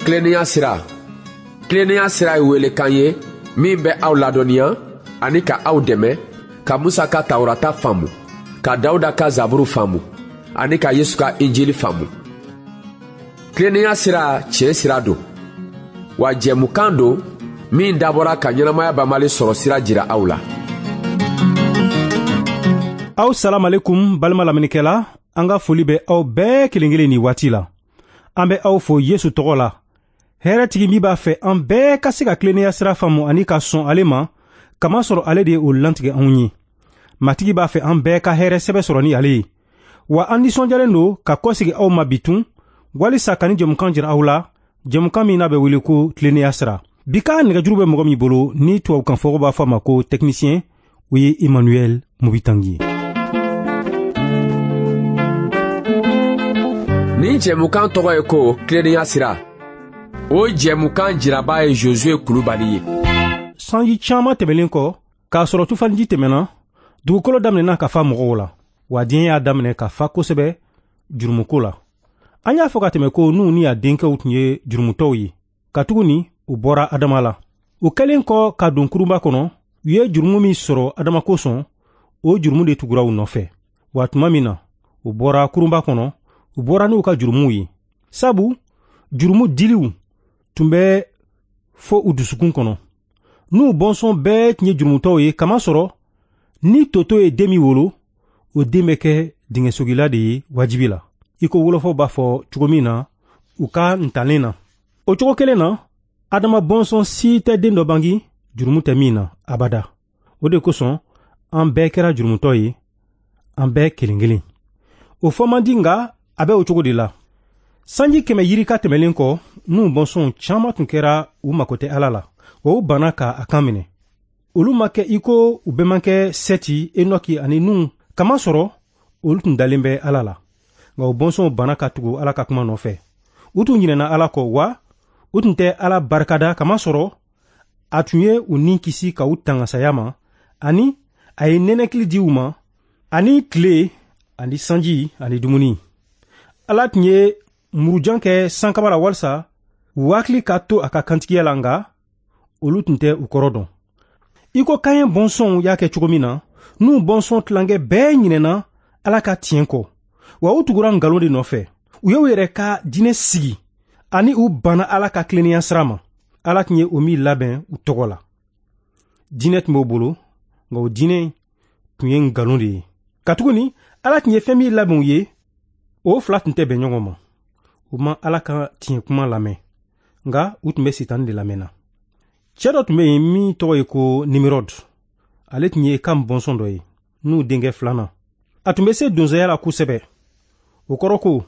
Tilennenya sira. Tilennenya sira ye welekan ye min bɛ aw ladɔnniya ani ka aw dɛmɛ ka Musa ka Tawurata faamu, ka Dawuda ka Zaburu faamu ani ka Yesu ka Injili faamu. Tilennenya sira tiɲɛ sira don, wa jɛmukan don min dabɔra ka ɲɛnamaya banbali sɔrɔ sira jira aw la. Aw salamalekum balima lamɛnnikɛla, an ka foli bɛ aw bɛɛ kelen kelen nin waati la. An bɛ aw fo Yesu tɔgɔ la. Hɛrɛtigi min b'a fɛ an bɛɛ ka se ka tilennenya sira faamu ani ka sɔn ale ma, kamasɔrɔ ale de ye o lantigɛ anw ye. Matigi b'a fɛ an bɛɛ ka hɛrɛ sɛbɛ sɔrɔ ni ale ye. Wa an nisɔndiyalen don ka kɔsegi aw ma bitun, walisa ka ni jɛmukan jira aw la, jɛmukan min n'a bɛ wele ko tilennenya sira. Bi ka nɛgɛjuru bɛ mɔgɔ min bolo ni tubabukan fɔko b'a fɔ a ma ko technicien, o ye Emmanuel Mubitangi ye. Nin jɛmukan tɔgɔ ye ko tilennenya sira. O jɛmukan jiraba ye Josue Kulubali ye. Sanji caman tɛmɛlen kɔ, k'a sɔrɔ tufaniji tɛmɛna, dugukolo daminɛna ka fa mɔgɔw la, wa diɲɛ y'a daminɛ ka fa kosɛbɛ jurumuko la. An y'a fɔ ka tɛmɛ ko Nuhu ni a denkɛw tun ye jurumutɔw ye, katuguni u bɔra Adama la. U kɛlen kɔ ka don kurunba kɔnɔ, u ye jurumu min sɔrɔ Adama kosɔn, o jurumu de tugura u nɔfɛ. Wa tuma min na u bɔra kurunba kɔnɔ, u bɔra n'u ka jurumuw ye, sabu jurumu diliw tun bɛ fo u dusukun kɔnɔ. N'u bɔnsɔn bɛɛ tun ye jurumutɔw ye, kamasɔrɔ ni toto ye den min wolo, o den bɛ kɛ dingɛsogila de ye wajibi la, i ko wolofaw b'a fɔ cogo min na u ka ntalen na. O cogo kelen na, Adama bɔnsɔn si tɛ den dɔ bangi jurumu tɛ min na abada. O de kosɔn an bɛɛ kɛra jurumutɔ ye, an bɛɛ kelen kelen. O fɔ man di, nka a bɛ o cogo de la. Sanji 100 yirika tɛmɛlen kɔ, Nuhu bɔnsɔnw caman tun kɛra u mako tɛ Ala la, wa u banna ka a kan minɛ. Olu ma kɛ i ko u bɛnbakɛ Sɛti, Enoki ani Nuhu, kamasɔrɔ olu tun dalen bɛ Ala la. Nka u bɔnsɔnw banna ka tugu Ala ka kuma nɔfɛ. U tun ɲinɛna Ala kɔ, wa u tun tɛ Ala barikada, kamasɔrɔ a tun ye u ni kisi ka u tanga saya ma, ani a ye nɛnɛkili di u ma, ani tile, ani sanji, ani dumuni. Ala tun ye murujan kɛ sankaba la walisa u hakili ka to a ka kantigiya la, nka olu tun tɛ u kɔrɔ dɔn. I ko Kaɲɛ bɔnsɔnw y'a kɛ cogo min na, n'u bɔnsɔn tilankɛ bɛɛ ɲinɛna Ala ka tiɲɛ kɔ, wa u tugura nkalon de nɔfɛ. U y'u yɛrɛ ka diinɛ sigi ani u banna Ala ka tilennenya sira ma. Ala tun ye o min labɛn u tɔgɔ la. Diinɛ tun b'o bolo, nka o diinɛ tun ye nkalon de ye. Katuguni Ala tun ye fɛn min labɛn u ye, o fila tun tɛ bɛn ɲɔgɔn ma. U ma Ala ka tiɲɛ kuma lamɛn, nka u tun bɛ Sitani de lamɛnna. Cɛ dɔ tun bɛ yen min tɔgɔ ye ko Nimirɔd. Ale tun ye Kam bɔnsɔn dɔ ye, n'u denkɛ filanan. A tun bɛ se donsoya la kosɛbɛ. O kɔrɔ ko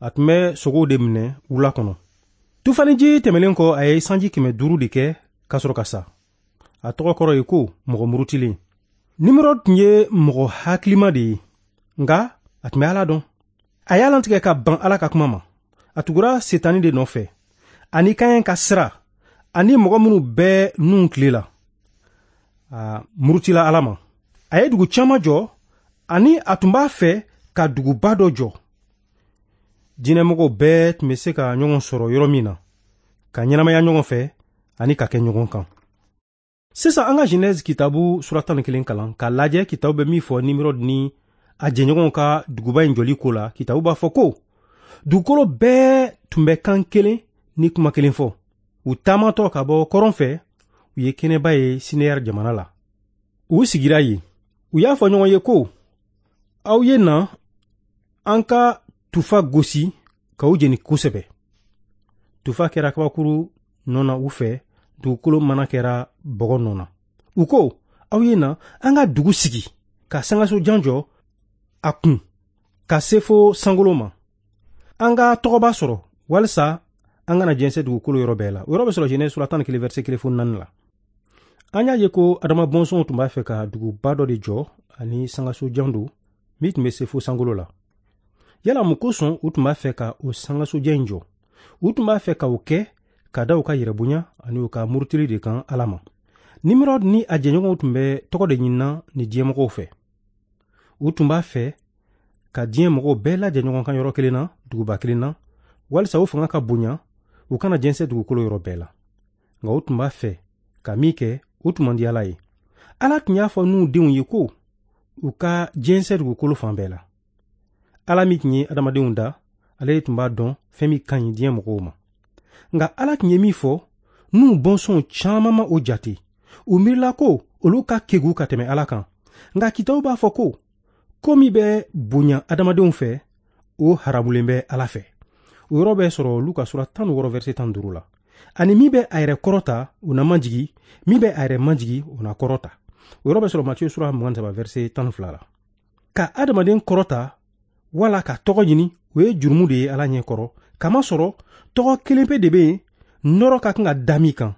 a tun bɛ sogow de minɛ wula kɔnɔ. Tufaniji tɛmɛlen kɔ, a ye sanji 500 de kɛ ka sɔrɔ ka sa. A tɔgɔ kɔrɔ ye ko mɔgɔ murutilen. Nimirɔd tun ye mɔgɔ hakilima de ye, nka a tun bɛ Ala dɔn. A y'a lantigɛ ka ban Ala ka kuma ma. A tugura Setani de nɔfɛ, ani Kaɲɛ ka sira, ani mɔgɔ minnu bɛɛ nun tile la. A murutila Ala ma. A ye dugu caman jɔ, ani a tun b'a fɛ ka duguba dɔ jɔ. Diinɛmɔgɔw bɛɛ tun bɛ se ka ɲɔgɔn sɔrɔ yɔrɔ min na, ka ɲɛnamaya ɲɔgɔn fɛ ani ka kɛ ɲɔgɔn kan. Sisan an ka Genèse kitabu sura 11 kalan k'a lajɛ kitabu bɛ min fɔ Nimirɔd ni a jɛɲɔgɔnw ka duguba in jɔli ko la. Kitabu b'a fɔ ko dugukolo bɛɛ tun bɛ kan kelen ni kuma kelen fɔ. U taamatɔ ka bɔ kɔrɔn fɛ, u ye kɛnɛba ye Sineyar jamana la. U sigira yen. U y'a fɔ ɲɔgɔn ye ko, aw ye na an ka tufa gosi ka u jeni kosɛbɛ. Tufa kɛra kabakuru nɔ na u fɛ, dugukolo mana kɛra bɔgɔ nɔ na. U ko, aw ye na an ka dugu sigi ka sankaso jan jɔ a kun ka se fo sankolo ma. An ka tɔgɔba sɔrɔ walisa an kana jɛnsɛn dugukolo yɔrɔ bɛɛ la. O yɔrɔ bɛ sɔrɔ Genèse sura 11 verset 1 fo 4 la. An y'a ye ko Adama bɔnsɔnw tun b'a fɛ ka duguba dɔ de jɔ ani sankaso jan don min tun bɛ se fo sankolo la. Yala mun kosɔn u tun b'a fɛ ka o sankasojan in jɔ? U tun b'a fɛ ka o kɛ ka da u ka yɛrɛbonya ani u ka murutili de kan Ala ma. Nimirɔd ni a jɛɲɔgɔnw tun bɛ tɔgɔ de ɲinina ni diɲɛmɔgɔw fɛ. U tun b'a fɛ ka diɲɛ mɔgɔw bɛɛ lajɛ ɲɔgɔn kan yɔrɔ kelen na, duguba kelen na, walisa u fanga ka bonya, U kana jɛnsɛn dugukolo yɔrɔ bɛɛ la. Nka u tun b'a fɛ ka min kɛ, o tun man di Ala ye. Ala tun y'a fɔ Nuhu denw ye ko u ka jɛnsɛn dugukolo fan bɛɛ la. Ala min tun ye adamadenw da, ale de tun b'a dɔn fɛn min ka ɲi diɲɛ mɔgɔw ma. Nka Ala tun ye min fɔ, Nuhu bɔnsɔnw caman ma o jate. U miirila ko olu ka kegu ka tɛmɛ Ala kan. Nka kitabu b'a fɔ ko ko min bɛ bonya adamadenw fɛ, o haramulen bɛ Ala fɛ. O yɔrɔ bɛ sɔrɔ Luka sura 16 verset 15 la. Ani min bɛ a yɛrɛ kɔrɔta, o na majigi, min bɛ a yɛrɛ majigi, o na kɔrɔta. O yɔrɔ bɛ sɔrɔ Matiyu sura 23 verset 12 la. Ka adamaden kɔrɔta wala ka tɔgɔ ɲini, o ye jurumu de ye Ala ɲɛ kɔrɔ. Kamasɔrɔ tɔgɔ kelen pe de bɛ yen, nɔrɔ ka kan ka da min kan,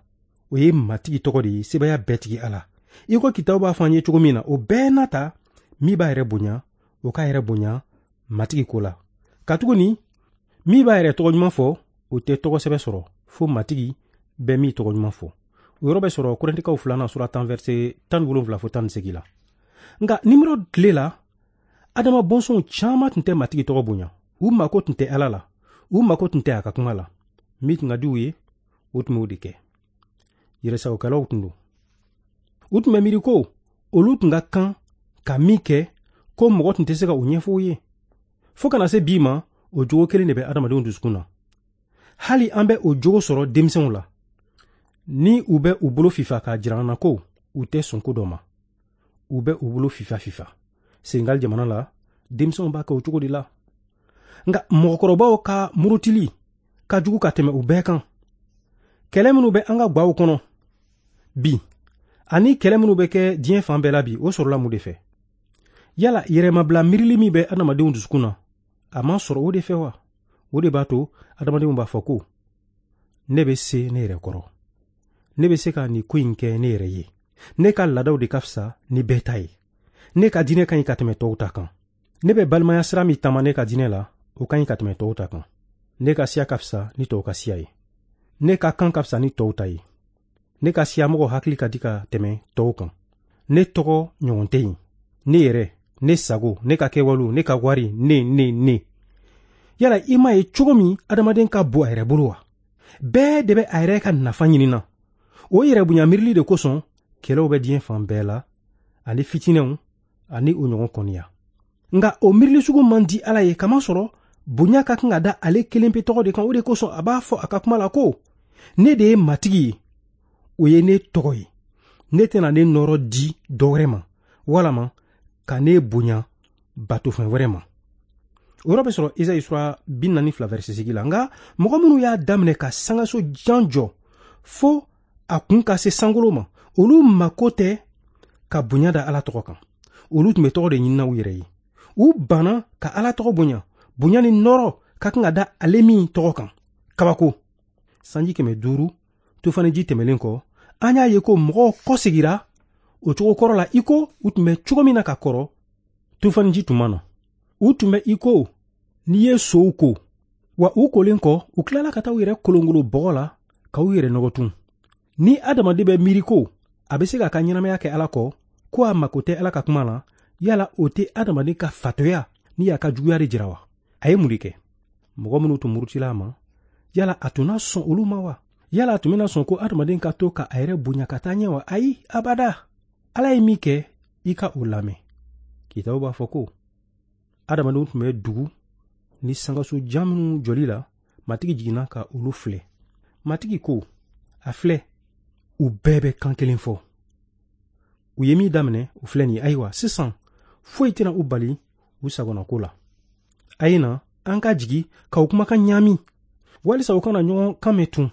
o ye Matigi tɔgɔ de ye, sebaaya bɛɛ tigi Ala. I ko kitabu b'a fɔ an ye cogo min na, o bɛɛ n'a ta, min b'a yɛrɛ bonya, o k'a yɛrɛ bonya Matigi ko la. Katuguni min b'a yɛrɛ tɔgɔ ɲuman fɔ, o tɛ tɔgɔ sɛbɛ sɔrɔ, fo Matigi bɛ min tɔgɔ ɲuman fɔ. O yɔrɔ bɛ sɔrɔ Korintikaw 2 sura 10 verset 17 fo 18 la. Nka Nimrod tile la, Adama bɔnsɔnw caman tun tɛ Matigi tɔgɔ bonya. U mako tun tɛ Ala la, u mako tun tɛ a ka kuma la. Min tun ka di u ye, o tun b'o de kɛ. Yɛrɛsagokɛlaw tun don. U tun bɛ miiri ko olu tun ka kan ka min kɛ, ko mɔgɔ tun tɛ se ka o ɲɛfɔ u ye. Fo kana se bi ma, o jogo kelen de bɛ adamadenw dusukun na. Hali an bɛ o jogo sɔrɔ denmisɛnw la. Ni u bɛ u bolo fifa k'a jira an na ko u tɛ sɔn ko dɔ ma, u bɛ u bolo fifa fifa. Senegal jamana la, denmisɛnw b'a kɛ o cogo de la. Nka mɔgɔkɔrɔbaw ka murutili ka jugu ka tɛmɛ u bɛɛ kan. Kɛlɛ minnu bɛ an ka gwaw kɔnɔ bi, ani kɛlɛ minnu bɛ kɛ diɲɛ fan bɛɛ la bi, o sɔrɔla mun de fɛ? Yala yɛrɛmabila miirili min bɛ adamadenw dusukun na, a ma sɔrɔ o de fɛ wa? O de b'a to adamadenw b'a fɔ ko ne bɛ se ne yɛrɛ kɔrɔ, ne bɛ se ka nin ko in kɛ ne yɛrɛ ye, ne ka laadaw de ka fisa ni bɛɛ ta ye, ne ka diinɛ ka ɲi ka tɛmɛ tɔw ta kan, ne bɛ balimaya sira min taama ne ka diinɛ la, o ka ɲi ka tɛmɛ tɔw ta kan, ne ka siya ka fisa ni tɔw ka siya ye, ne ka kan ka fisa ni tɔw ta ye, ne ka siyamɔgɔ hakili ka di ka tɛmɛ tɔw kan, ne tɔgɔ ɲɔgɔn tɛ yen, ne yɛrɛ, ne sago, ne ka kɛwalew, ne ka wari, ne ne ne. Yala i m'a ye cogo min adamaden ka bon a yɛrɛ bolo wa? Bɛɛ de bɛ a yɛrɛ ka nafa ɲini na. O yɛrɛ bonya miirili de kosɔn kɛlɛw bɛ diɲɛ fan bɛɛ la, ani fitinɛw, ani o ɲɔgɔn kɔniya. Nka o miirili sugu man di Ala ye, kamasɔrɔ bonya ka kan ka da ale kelen pe tɔgɔ de kan. O de kosɔn a b'a fɔ a ka kuma la ko ne de ye Matigi ye, o ye ne tɔgɔ ye, ne tɛna ne nɔrɔ di dɔ wɛrɛ ma, walama ka ne bonya batofɛn wɛrɛ ma. O yɔrɔ bɛ sɔrɔ Esayi sura 42 verset 8 la. Nka mɔgɔ minnu y'a daminɛ ka sangaso jan jɔ fo a kun ka se sankolo ma, olu mako tɛ ka bonya da Ala tɔgɔ kan. Olu tun bɛ tɔgɔ de ɲinina u yɛrɛ ye. U banna ka Ala tɔgɔ bonya, bonya ni nɔrɔ ka kan ka da ale min tɔgɔ kan. Kabako. Sanji 500 tufaniji tɛmɛlen kɔ, an y'a ye ko mɔgɔw kɔsegira o cogo kɔrɔ la, i ko u tun bɛ cogo min na ka kɔrɔ tufaniji tun ma na. U tun bɛ i ko n'i ye sow ko, wa u kolen kɔ, u tilala ka taa u yɛrɛ kolonkolon bɔgɔ la ka u yɛrɛ nɔgɔ tun. Ni adamaden bɛ miiri ko a bɛ se k'a ka ɲɛnamaya kɛ Ala kɔ, ko a mako tɛ Ala ka kuma la, yala o tɛ adamaden ka fatɔya ni a ka juguya de jira wa? A ye mun de kɛ? Mɔgɔ minnu tun murutila a ma, yala a tun na sɔn olu ma wa? Yala a tun bɛna sɔn ko adamaden ka to ka a yɛrɛ bonya ka taa ɲɛ wa? Ayi, abada. Ala ye min kɛ, i ka o lamɛn. Kitabu b'a fɔ ko adamadenw tun bɛ dugu ni sangaso jan minnu jɔli la, Matigi jiginna ka olu filɛ. Matigi ko, a filɛ, u bɛɛ bɛ kan kelen fɔ. U ye min daminɛ, o filɛ nin ye. Ayiwa, sisan foyi tɛna u bali u sagonako la. A ye na, an ka jigi ka u kumakan ɲaami, walisa u kana ɲɔgɔn kan mɛn tun.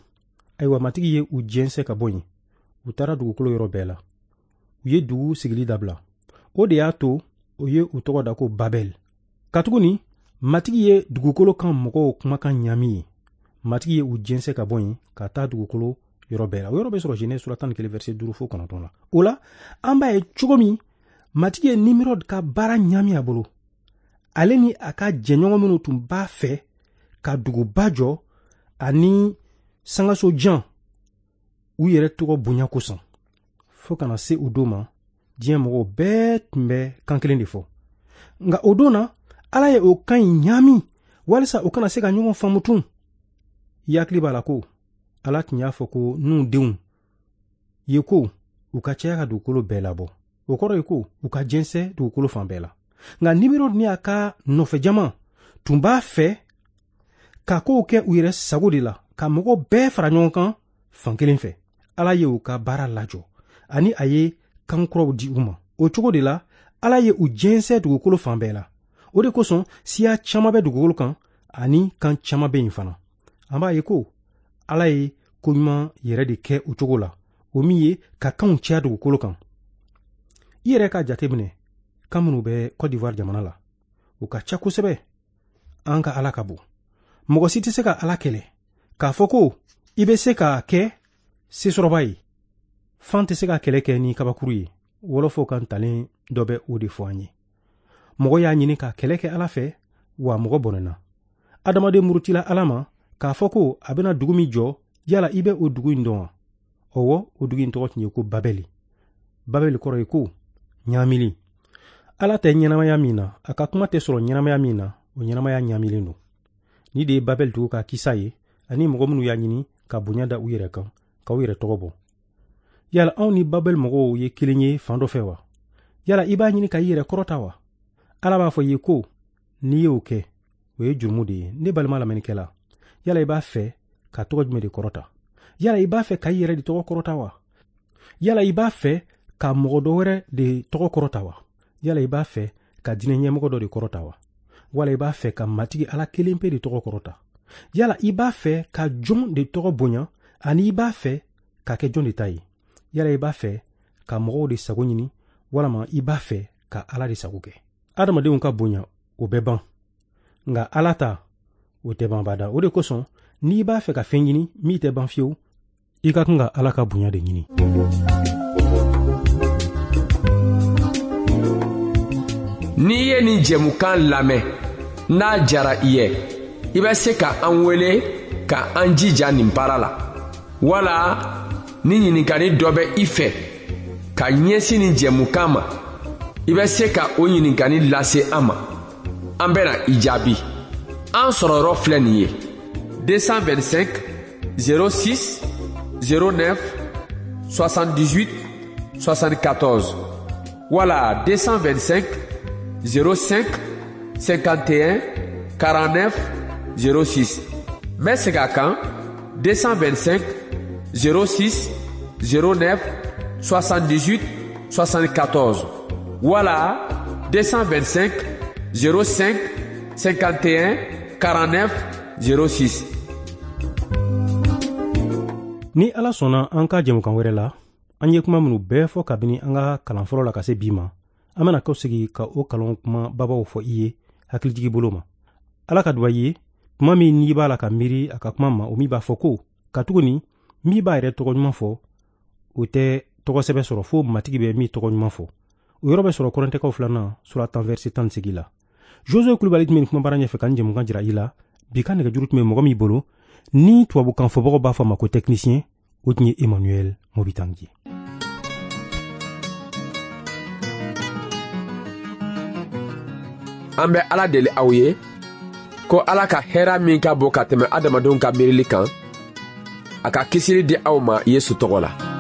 Ayiwa, Matigi ye u jɛnsɛn ka bɔ yen. U taara dugukolo yɔrɔ bɛɛ la. U ye dugu sigili dabila. O de y'a to o ye u tɔgɔ da ko Babɛl. Katuguni Matigi ye dugukolo kan mɔgɔw kumakan ɲaami ye. Matigi ye u jɛnsɛn ka bɔ yen ka taa dugukolo yɔrɔ bɛɛ la. O yɔrɔ bɛ sɔrɔ Genèse sura 11 verset 5 fo 9 la. O la, an b'a ye cogo min Matigi ye Nimrod ka baara ɲaami a bolo. Ale ni a ka jɛɲɔgɔn minnu tun b'a fɛ ka duguba jɔ ani sangaso jan u yɛrɛ tɔgɔ bonya kosɔn. Fo kana se o don ma, diɲɛ mɔgɔw bɛɛ tun bɛ kan kelen de fɔ. Nka o don na, Ala ye o kan in ɲaami walisa u kana se ka ɲɔgɔn faamu tun. I hakili b'a la ko Ala tun y'a fɔ ko Nuhun denw ye ko u ka caya ka dugukolo bɛɛ labɔ. O kɔrɔ ye ko u ka jɛnsɛn dugukolo fan bɛɛ la. Nka Nimirɔd ni a ka nɔfɛjama tun b'a fɛ ka kow kɛ u yɛrɛ sago de la, ka mɔgɔ bɛɛ fara ɲɔgɔn kan fan kelen fɛ. Ala ye u ka baara lajɔ ani a ye kan kuraw di u ma. O cogo de la, Ala ye u jɛnsɛn dugukolo fan bɛɛ la. O de kosɔn siya caman bɛ dugukolo kan ani kan caman bɛ yen fana. An b'a ye ko Ala ye koɲuman yɛrɛ de kɛ o cogo la, o min ye ka kanw caya dugukolo kan. I yɛrɛ k'a jateminɛ kan minnu bɛ Côte d'Ivoire jamana la, u ka ca kosɛbɛ. An ka Ala ka bon. Mɔgɔ si tɛ se ka Ala kɛlɛ k'a fɔ ko i bɛ se k'a kɛ sesɔrɔba ye. Fan tɛ se ka kɛlɛ kɛ ni kabakuru ye. Wɔlɔfɔw ka ntalen dɔ bɛ o de fɔ an ye. Mɔgɔ y'a ɲini ka kɛlɛ kɛ Ala fɛ, wa mɔgɔ bɔnɛna. Adamaden murutila Ala ma k'a fɔ ko a bɛna dugu min jɔ, yala i bɛ o dugu in dɔn wa? Ɔwɔ, o dugu in tɔgɔ tun ye ko Babɛli. Babɛli kɔrɔ ye ko ɲaamili. Ala tɛ ɲɛnamaya min na, a ka kuma tɛ sɔrɔ ɲɛnamaya min na, o ɲɛnamaya ɲaamilen don. Ni de ye Babɛli dugu ka kisa ye, ani mɔgɔ minnu y'a ɲini ka bonya da u yɛrɛ kan, ka u yɛrɛ tɔgɔ bɔ. Yala anw ni Babɛli mɔgɔw ye kelen ye fan dɔ fɛ wa? Yala i b'a ɲini ka i yɛrɛ kɔrɔta wa? Ala b'a fɔ i ye ko n'i y'o kɛ, o ye jurumu de ye. Ne balima lamɛnnikɛla, yala i b'a fɛ ka tɔgɔ jumɛn de kɔrɔta? Yala i b'a fɛ ka i yɛrɛ de tɔgɔ kɔrɔta wa? Yala i b'a fɛ ka mɔgɔ dɔ wɛrɛ de tɔgɔ kɔrɔta wa? Yala i b'a fɛ ka diinɛ ɲɛmɔgɔ dɔ de kɔrɔta wa? Wala i b'a fɛ ka Matigi Ala kelen pe de tɔgɔ kɔrɔta? Yala i b'a fɛ ka jɔn de tɔgɔ bonya, ani i b'a fɛ ka kɛ jɔn de ta ye? Yala i b'a fɛ ka mɔgɔw de sago ɲini, walama i b'a fɛ ka Ala de sago kɛ? Adamadenw ka bonya, o bɛ ban, nka Ala ta, o tɛ ban bada. O de kosɔn n'i b'a fɛ ka fɛn ɲini min tɛ ban fiyewu, i ka kan ka Ala ka bonya de ɲini. N'i ye nin jɛmukan lamɛn, n'a jara i ye, i bɛ se ka an wele ka an jija nin baara la, wala ni ɲininkali dɔ bɛ i fɛ ka ɲɛsin nin jɛmukan ma, i bɛ se ka o ɲininkali lase an ma. An bɛna i jaabi. An sɔrɔ yɔrɔ filɛ nin ye: 225 06 09 78 74 wala 225 05 51 49 06. N bɛ segin a kan: 225 06 09 78 74 wala 225 05 51 49 06. Ni Ala sɔnna, an ka jɛmukan wɛrɛ la, an ye kuma minnu bɛɛ fɔ kabini an ka kalan fɔlɔ la ka se bi ma, an bɛna kɔ sigi ka o kalan kuma babaw fɔ i ye hakilijigi bolo ma. Ala ka duba i ye tuma min n'i b'a la ka miiri a ka kuma ma, o min b'a fɔ ko katuguni min b'a yɛrɛ tɔgɔ ɲuman fɔ, o tɛ tɔgɔ sɛbɛ sɔrɔ fo Matigi bɛ min tɔgɔ ɲuman fɔ. O yɔrɔ bɛ sɔrɔ Kɔrɛntɛkaw 2nan sura 10 verset 18 la. Josue Kulubali tun bɛ nin kumabara ɲɛfɛ ka nin jɛmukan jira i la. Bi ka nɛgɛjuru tun bɛ mɔgɔ min bolo, ni tubabukan fɔbagaw b'a fɔ a ma ko technicien, o tun ye Emmanuel Mobitangi. An bɛ Ala deli aw ye ko Ala ka hɛra min ka bon ka tɛmɛ adamadenw ka miirili kan, a ka kisili di aw ma Yesu tɔgɔ la.